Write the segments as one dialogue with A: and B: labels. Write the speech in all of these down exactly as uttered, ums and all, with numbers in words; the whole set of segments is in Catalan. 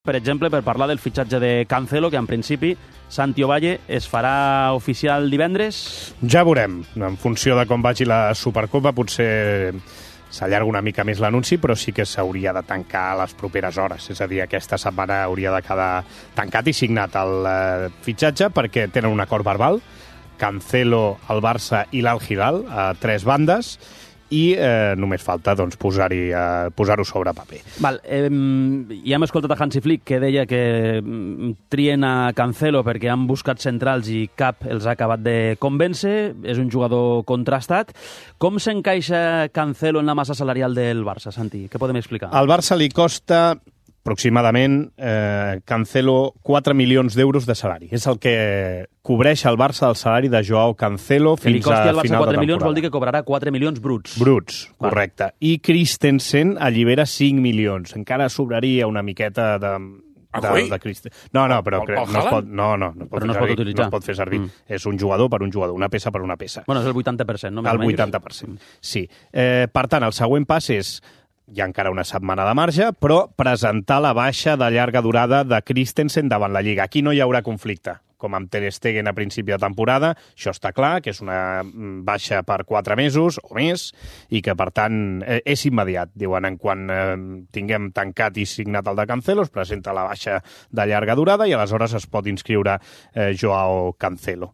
A: Per exemple, per parlar del fitxatge de Cancelo, que en principi Santi Ovalle es farà oficial divendres.
B: Ja veurem. En funció de com vagi la Supercopa, potser s'allarga una mica més l'anunci, però sí que s'hauria de tancar a les properes hores. És a dir, aquesta setmana hauria de quedar tancat i signat el eh, fitxatge, perquè tenen un acord verbal, Cancelo, el Barça i l'Al Hilal, a tres bandes, i eh, només falta doncs, posar-hi, eh, posar-ho sobre paper.
A: Val, eh, ja hem escoltat a Hansi Flick, que deia que trien a Cancelo perquè han buscat centrals i cap els ha acabat de convèncer. És un jugador contrastat. Com s'encaixa Cancelo en la massa salarial del Barça, Santi? Què podem explicar?
B: Al Barça li costa aproximadament eh, Cancelo quatre milions d'euros de salari. És el que cobreix el Barça del salari de Joao Cancelo fins a final de temporada. Que li costi al Barça quatre milions vol dir que cobrarà quatre milions bruts. Bruts, correcte. I Christensen allibera cinc milions. Encara sobraria una miqueta de... de, de Christensen. No, no, però no es pot, no, no, no es pot,
A: no es pot utilitzar.
B: No es pot fer servir. Mm. És un jugador per un jugador, una peça per una peça.
A: Bueno, és el vuitanta per cent, no?
B: El vuitanta per cent, sí. Eh, per tant, el següent pas és... Hi ha encara una setmana de marge, però presentar la baixa de llarga durada de Christensen davant la Lliga. Aquí no hi haurà conflicte, com amb Ter Stegen a principi de temporada. Això està clar, que és una baixa per quatre mesos o més, i que, per tant, és immediat. Diuen, en quan eh, tinguem tancat i signat el de Cancelo, es presenta la baixa de llarga durada i aleshores es pot inscriure eh, Joao Cancelo.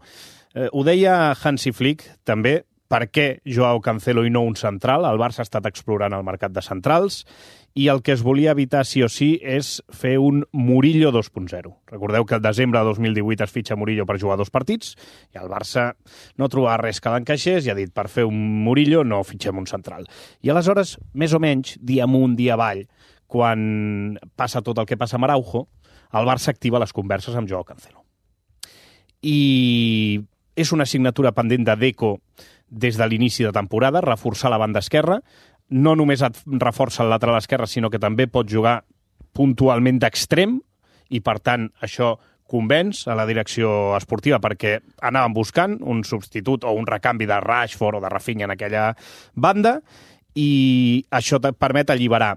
B: Eh, ho deia Hansi Flick, també, per què Joao Cancelo i no un central. El Barça ha estat explorant el mercat de centrals i el que es volia evitar sí o sí és fer un Murillo dos punt zero. Recordeu que el desembre de dos mil divuit es fitxa Murillo per jugar dos partits i el Barça no trobava res que l'encaixés i ha dit, per fer un Murillo no fitxem un central. I aleshores, més o menys, dia amunt, dia avall, quan passa tot el que passa amb Araujo, el Barça activa les converses amb Joao Cancelo. I és una assignatura pendent de Deco des de l'inici de temporada, reforçar la banda esquerra. No només et reforça el lateral esquerre, sinó que també pot jugar puntualment d'extrem i, per tant, això convenç a la direcció esportiva perquè anàvem buscant un substitut o un recanvi de Rashford o de Rafinha en aquella banda i això et permet alliberar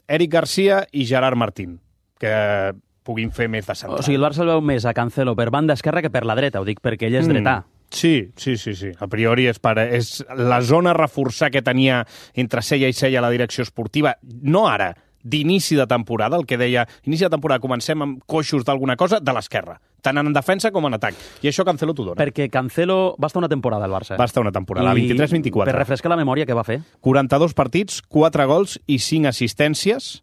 B: Eric Garcia i Gerard Martín, que puguin fer més de central.
A: O sigui, el Barça el veu més a Cancelo per banda esquerra que per la dreta, ho dic perquè ell és dretà.
B: Mm. Sí, sí, sí, sí. A priori és, per, és la zona a reforçar que tenia entre cella i cella la direcció esportiva, no ara, d'inici de temporada, el que deia, inici de temporada comencem amb coixos d'alguna cosa de l'esquerra, tant en defensa com en atac. I això Cancelo t'ho dona.
A: Perquè Cancelo va estar una temporada al Barça.
B: Va estar una temporada, la vint-i-tres vint-i-quatre.
A: Per refrescar la memòria, què va fer?
B: quaranta-dos partits, quatre gols i cinc assistències.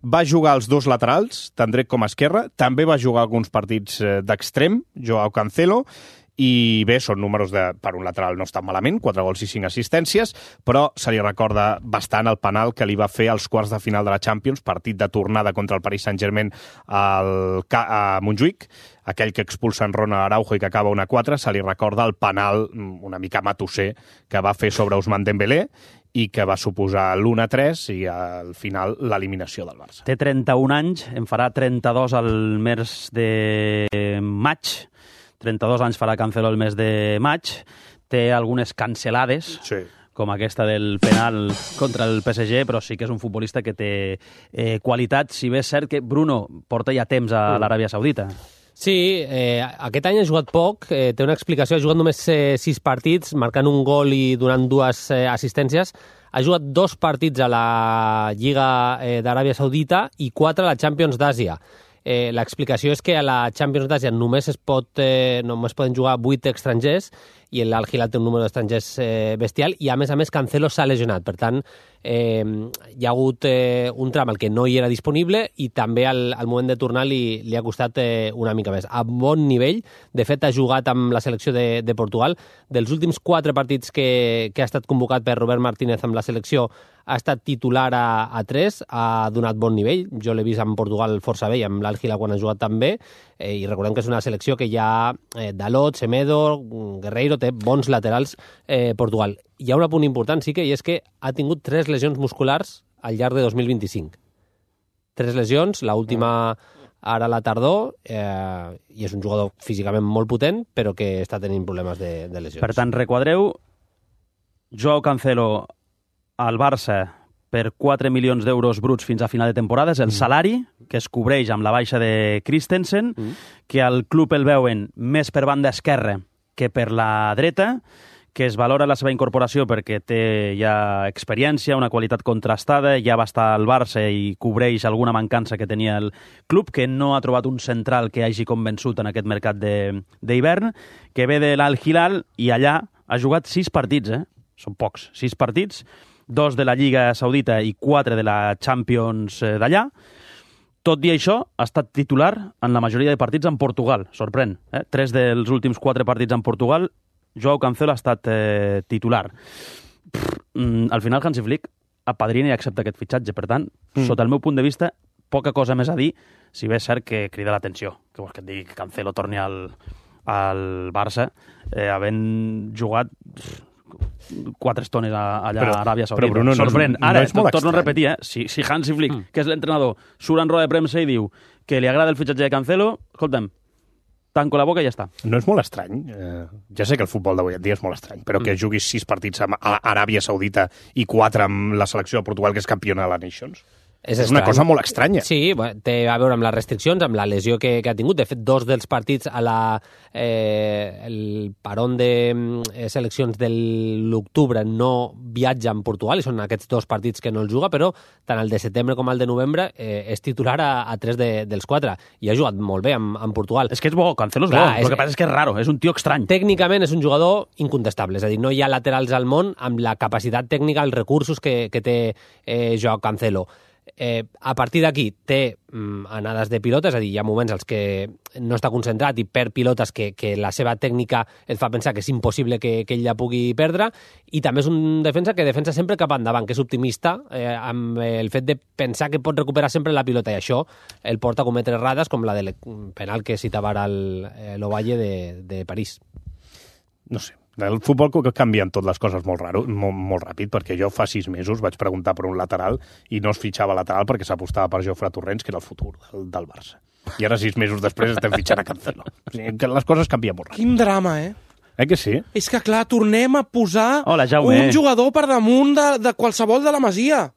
B: Va jugar els dos laterals, tant dret com esquerra. També va jugar alguns partits d'extrem, Joao Cancelo. I bé, són números de, per un lateral no estan malament, quatre gols i cinc assistències, però se li recorda bastant el penal que li va fer als quarts de final de la Champions, partit de tornada contra el Paris Saint-Germain al, a Montjuïc, aquell que expulsa en Ronald Araujo i que acaba una quatre, se li recorda el penal una mica matusser que va fer sobre Ousmane Dembélé i que va suposar l'u a tres i al final l'eliminació del Barça.
A: Té trenta-un anys, en farà trenta-dos al mes de maig, trenta-dos anys farà Cancelo el mes de maig, té algunes cancelades,
B: sí,
A: com aquesta del penal contra el P S G, però sí que és un futbolista que té eh, qualitat, si bé és cert que Bruno porta ja temps a l'Aràbia Saudita.
C: Sí, eh, aquest any ha jugat poc, eh, té una explicació, ha jugat només eh, sis partits, marcant un gol i donant dues eh, assistències. Ha jugat dos partits a la Lliga eh, d'Aràbia Saudita i quatre a la Champions d'Àsia. Eh, l'explicació és que a la Champions d'Àsia només es pot, eh, només poden jugar vuit estrangers i l'Al Hilal té un número d'estrangers eh, bestial i a més a més Cancelo s'ha lesionat, per tant eh, hi ha hagut eh, un tram al que no hi era disponible i també al, al moment de tornar li, li ha costat eh, una mica més. A bon nivell, de fet ha jugat amb la selecció de, de Portugal. Dels últims quatre partits que, que ha estat convocat per Robert Martínez amb la selecció ha estat titular a, a tres, ha donat bon nivell. Jo l'he vist amb Portugal força bé i amb l'Al Hilal quan ha jugat també. Eh, I recordem que és una selecció que hi ha eh, Dalot, Semedo, Guerreiro, té bons laterals eh, Portugal. Hi ha un punt important, sí que, i és que ha tingut tres lesions musculars al llarg de dos mil vint-i-cinc. Tres lesions, l'última ara a la tardor, eh, i és un jugador físicament molt potent, però que està tenint problemes de, de lesions.
A: Per tant, requadreu Joao Cancelo al Barça per quatre milions d'euros bruts fins a final de temporada. És el salari que es cobreix amb la baixa de Christensen, mm. que al club el veuen més per banda esquerra que per la dreta, que es valora la seva incorporació perquè té ja experiència, una qualitat contrastada, ja va estar al Barça i cobreix alguna mancança que tenia el club, que no ha trobat un central que hagi convençut en aquest mercat d'hivern, que ve de l'Al Hilal i allà ha jugat sis partits, eh? Són pocs, sis partits, dos de la Lliga Saudita i quatre de la Champions d'allà. Tot i això, ha estat titular en la majoria de partits en Portugal, sorprèn. Eh? Tres dels últims quatre partits en Portugal, Joao Cancelo ha estat eh, titular. Pff, mm, al final, Hansi Flick apadrina i accepta aquest fitxatge. Per tant, mm. sota el meu punt de vista, poca cosa més a dir, si bé és cert que crida l'atenció. Que vols que et digui que Cancelo torni al, al Barça, eh, havent jugat pff, quatre estones allà però, a Aràbia Saudita.
B: Però Bruno,
A: sorprèn.
B: No,
A: Ara,
B: no és molt
A: torno
B: estrany.
A: a repetir, eh? si, si Hansi Flick, mm. que és l'entrenador, surt en roda de premsa i diu que li agrada el fitxatge de Cancelo, escolta'm, tanco la boca i ja està.
B: No és molt estrany. Eh, ja sé que el futbol d'avui en dia és molt estrany, però mm. que juguis sis partits amb Aràbia Saudita i quatre amb la selecció de Portugal, que és campiona de la Nations.
C: És,
B: és una cosa molt estranya.
C: Sí, bueno, té a veure amb les restriccions, amb la lesió que, que ha tingut. De fet, dos dels partits a la, eh, el parón de eh, seleccions de l'octubre no viatja en Portugal, i són aquests dos partits que no el juga, però tant el de setembre com el de novembre eh, és titular a, a tres de, dels quatre, i ha jugat molt bé amb, amb Portugal.
A: És que és bo, Cancelo és Clar, bo, és... el que passa és que és raro, és un tio estrany.
C: Tècnicament és un jugador incontestable, és a dir, no hi ha laterals al món amb la capacitat tècnica, els recursos que, que té eh, Joao Cancelo. Eh, a partir d'aquí té mm, anades de pilota, és a dir, hi ha moments als que no està concentrat i perd pilotes que, que la seva tècnica et fa pensar que és impossible que, que ell la pugui perdre, i també és un defensa que defensa sempre cap endavant, que és optimista eh, amb el fet de pensar que pot recuperar sempre la pilota, i això el porta a cometre errades com la del penal que citava ara l'Ovalle de, de París.
B: No sé. El futbol que canvien totes les coses molt raro, molt, molt ràpid, perquè jo fa sis mesos vaig preguntar per un lateral i no es fitxava lateral perquè s'apostava per Jofre Torrents, que era el futur del, del Barça. I ara, sis mesos després, estem fitxant a Cancelo. O sigui, que les coses canvien molt ràpid.
D: Quin drama, eh?
B: Eh que sí?
D: És que, clar, tornem a posar
A: Hola,
D: un jugador per damunt de, de qualsevol de la Masia.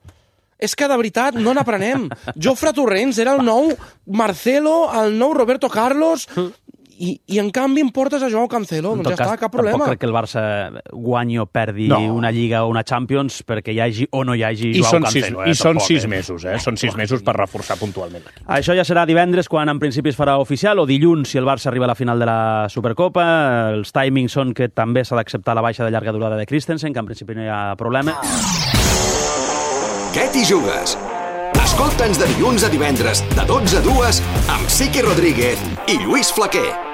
D: És que, de veritat, no n'aprenem. Jofre Torrents era el nou Marcelo, el nou Roberto Carlos... I, i en canvi em portes a Joao Cancelo, doncs ja cas, està, cap problema.
A: Tampoc crec que el Barça guanyi o perdi no. una Lliga o una Champions perquè hi hagi o no hi hagi
B: I
A: Joao Cancelo.
B: Sis, I
A: eh,
B: són
A: tampoc,
B: sis
A: eh?
B: mesos, eh? Són sis mesos per reforçar puntualment l'equip.
A: Això ja serà divendres, quan en principi es farà oficial, o dilluns, si el Barça arriba a la final de la Supercopa. Els timings són que també s'ha d'acceptar la baixa de llarga durada de Christensen, que en principi no hi ha problema.
E: Què t'hi jugues? Escolta'ns de dilluns a divendres, de dotze a dues, amb Siqui Rodríguez i Lluís Flaquer.